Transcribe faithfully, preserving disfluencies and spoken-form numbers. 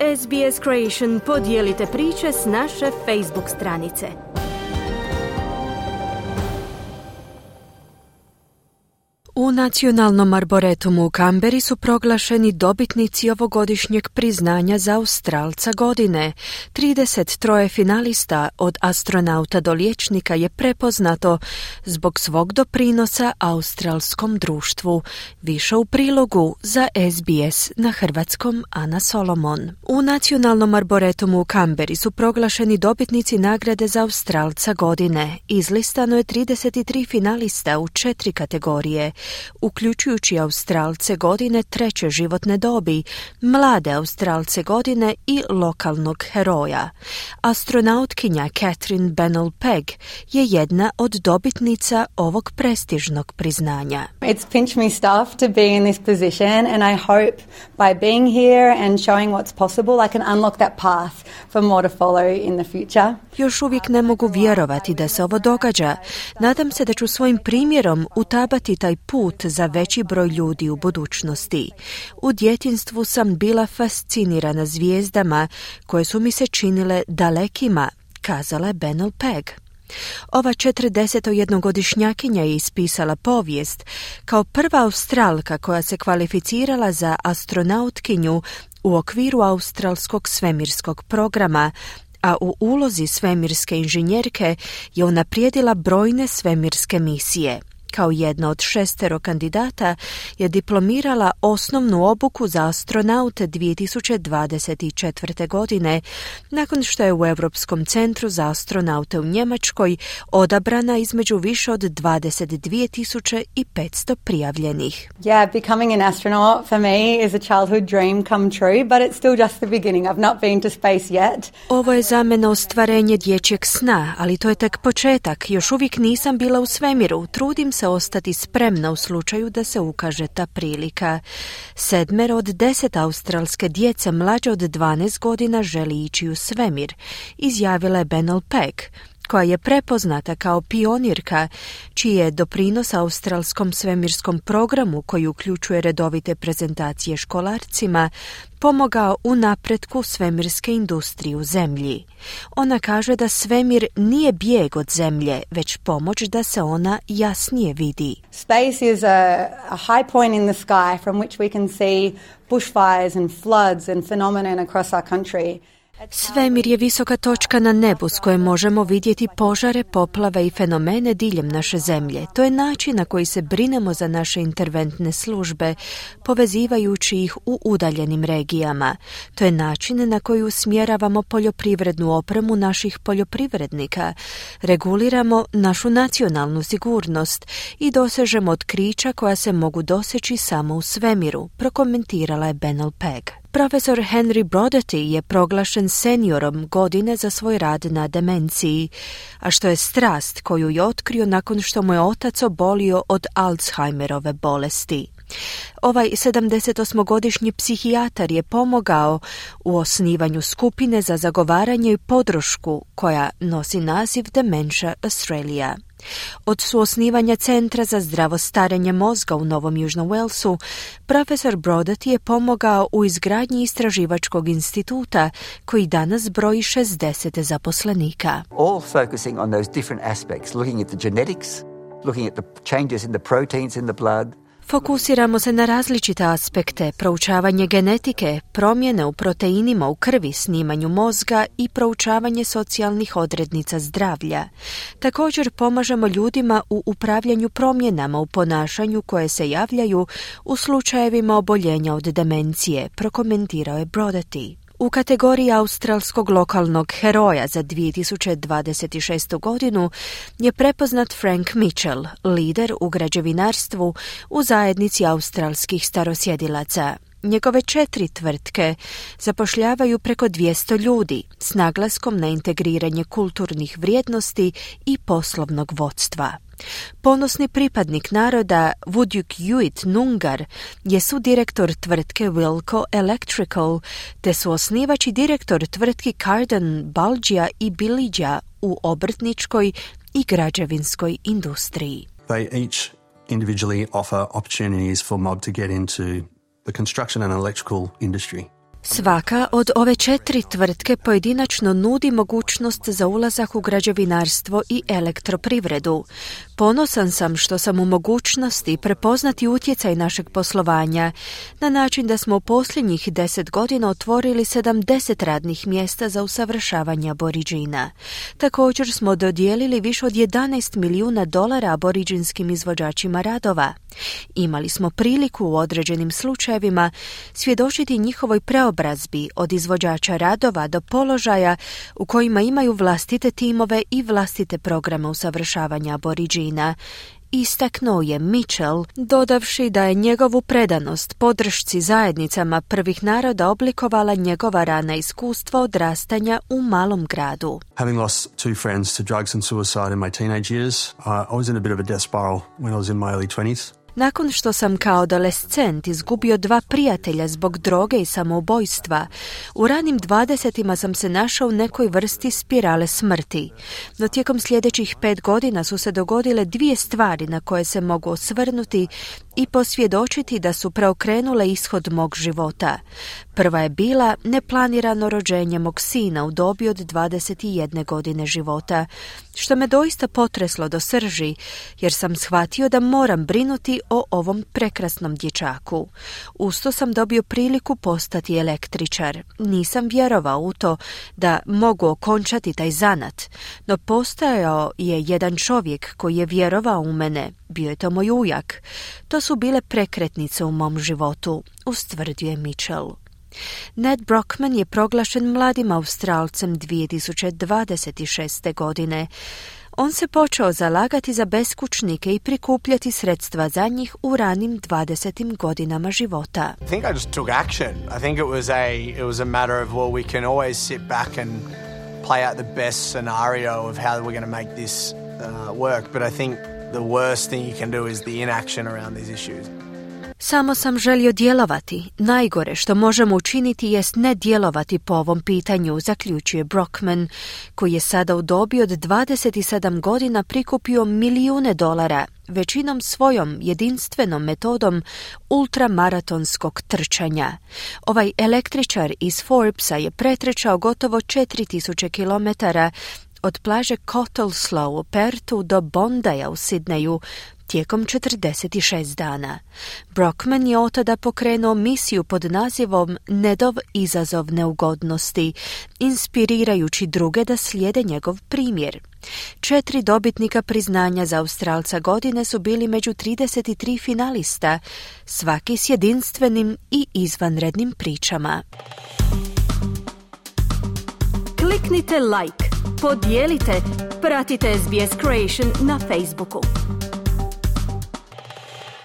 S B S Creation podijelite priče s naše Facebook stranice. U Nacionalnom arboretumu u Kamberi su proglašeni dobitnici ovogodišnjeg priznanja za Australca godine. trideset tri finalista od astronauta do liječnika je prepoznato zbog svog doprinosa australskom društvu. Više u prilogu za S B S na hrvatskom Ana Solomon. U Nacionalnom arboretumu u Kamberi su proglašeni dobitnici nagrade za Australca godine. Izlistano je trideset tri finalista u četiri kategorije, uključujući Australce godine treće životne dobi, mlade Australce godine i lokalnog heroja. Astronautkinja Catherine Bennell-Pegg je jedna od dobitnica ovog prestižnog priznanja. It's pinched me stuff to be in this position, and I hope by being here and showing what's possible I can unlock that path for more to follow in the future. Još uvijek ne mogu vjerovati da se ovo događa. Nadam se da ću svojim primjerom utabati taj put za veći broj ljudi u budućnosti. U djetinjstvu sam bila fascinirana zvijezdama koje su mi se činile dalekima, kazala je Bennell-Pegg. Ova četrdesetjednogodišnjakinja je ispisala povijest kao prva Australka koja se kvalificirala za astronautkinju u okviru australskog svemirskog programa, a u ulozi svemirske inženjerke je unaprijedila brojne svemirske misije. Kao jedna od šestero kandidata je diplomirala osnovnu obuku za astronaute dvije tisuće dvadeset četvrte. godine, nakon što je u Europskom centru za astronaute u Njemačkoj odabrana između više od dvadeset dvije tisuće petsto prijavljenih. Yeah, becoming an astronaut for me is a childhood dream come true, but it's still just the beginning. I've not been to space yet. Ovo je za mene ostvarenje dječjeg sna, ali to je tek početak. Još uvijek nisam bila u svemiru. Trudim se ostati spremna u slučaju da se ukaže ta prilika. Sedmero od deset australske djece mlađe od dvanaest godina želi ići u svemir, izjavila je Bennell-Pegg, koja je prepoznata kao pionirka, čiji je doprinos australskom svemirskom programu, koji uključuje redovite prezentacije školarcima, pomogao u napretku svemirske industrije u zemlji. Ona kaže da svemir nije bijeg od zemlje, već pomoć da se ona jasnije vidi. Space is a, a high point in the sky from which we can see bushfires and floods and phenomenon across our country. Svemir je visoka točka na nebu s koje možemo vidjeti požare, poplave i fenomene diljem naše zemlje. To je način na koji se brinemo za naše interventne službe, povezivajući ih u udaljenim regijama. To je način na koji usmjeravamo poljoprivrednu opremu naših poljoprivrednika, reguliramo našu nacionalnu sigurnost i dosežemo otkrića koja se mogu doseći samo u svemiru, prokomentirala je Bennell-Pegg. Profesor Henry Brodaty je proglašen seniorom godine za svoj rad na demenciji, a što je strast koju je otkrio nakon što mu je otac obolio od Alzheimerove bolesti. Ovaj sedamdesetosmogodišnji psihijatar je pomogao u osnivanju skupine za zagovaranje i podršku koja nosi naziv Dementia Australia. Od suosnivanja Centra za zdravo starenje mozga u Novom Južnom Walesu, profesor Brodaty je pomogao u izgradnji istraživačkog instituta koji danas broji šezdeset zaposlenika. All focusing on those different aspects, looking at the genetics, looking at the changes in the proteins in the blood. Fokusiramo se na različite aspekte, proučavanje genetike, promjene u proteinima u krvi, snimanju mozga i proučavanje socijalnih odrednica zdravlja. Također pomažemo ljudima u upravljanju promjenama u ponašanju koje se javljaju u slučajevima oboljenja od demencije, prokomentirao je Brodaty. U kategoriji australskog lokalnog heroja za dvije tisuće dvadeset šestu. godinu je prepoznat Frank Mitchell, lider u građevinarstvu u zajednici australskih starosjedilaca. Njegove četiri tvrtke zapošljavaju preko dvjesto ljudi s naglaskom na integriranje kulturnih vrijednosti i poslovnog vodstva. Ponosni pripadnik naroda Wudjuk Yuit Nungar je sudirektor tvrtke Wilco Electrical, te su osnivač i direktor tvrtki Carden, Balgia i Bilidja u obrtničkoj i građevinskoj industriji. They each individually offer opportunities for mob to get into the construction and electrical industry. Svaka od ove četiri tvrtke pojedinačno nudi mogućnost za ulazak u građevinarstvo i elektroprivredu. Ponosan sam što sam u mogućnosti prepoznati utjecaj našeg poslovanja na način da smo u posljednjih deset godina otvorili sedamdeset radnih mjesta za usavršavanje Aboriđina. Također smo dodijelili više od jedanaest milijuna dolara aboriđinskim izvođačima radova. Imali smo priliku u određenim slučajevima svjedočiti njihovoj preobrazbi od izvođača radova do položaja u kojima imaju vlastite timove i vlastite programe usavršavanja Aboriđina. Istaknuo je Mitchell, dodavši da je njegovu predanost podršci zajednicama prvih naroda oblikovala njegova rana iskustva odrastanja u malom gradu. Having lost two friends to drugs and suicide in my teenage years, I was in a bit of a death spiral when I was in my early twenties. Nakon što sam kao adolescent izgubio dva prijatelja zbog droge i samoubojstva, u ranim dvadesetima sam se našao u nekoj vrsti spirale smrti. No tijekom sljedećih pet godina su se dogodile dvije stvari na koje se mogu osvrnuti i posvjedočiti da su preokrenule ishod mog života. Prva je bila neplanirano rođenje mog sina u dobi od dvadeset jedne godine života, što me doista potreslo do srži, jer sam shvatio da moram brinuti o ovom prekrasnom dječaku. Usto sam dobio priliku postati električar. Nisam vjerovao u to da mogu okončati taj zanat, no postojao je jedan čovjek koji je vjerovao u mene. Bio je to moj ujak. To su bile prekretnice u mom životu, ustvrdio je Mitchell. Ned Brockman je proglašen mladim Australcem dvije tisuće dvadeset šeste. godine. On se počeo zalagati za beskućnike i prikupljati sredstva za njih u ranim dvadesetim godinama života. I think I just took action. I think it was a it was a matter of, well, we can always sit back and play out the best scenario of how we're going to make this uh, work, but I think the worst thing you can do is the inaction around these issues. Samo sam želio djelovati. Najgore što možemo učiniti jest ne djelovati po ovom pitanju, zaključuje Brockman, koji je sada u dobi od dvadeset sedam godina prikupio milijune dolara, većinom svojom jedinstvenom metodom ultramaratonskog trčanja. Ovaj električar iz Forbesa je pretrčao gotovo četiri tisuće kilometara od plaže Cottesloe u Pertu do Bondaya u Sidneju tijekom četrdeset šest dana. Brockman je otada pokrenuo misiju pod nazivom Nedov izazov neugodnosti, inspirirajući druge da slijede njegov primjer. Četiri dobitnika priznanja za Australca godine su bili među trideset tri finalista, svaki s jedinstvenim i izvanrednim pričama. Kliknite like, podijelite, pratite S B S Creation na Facebooku.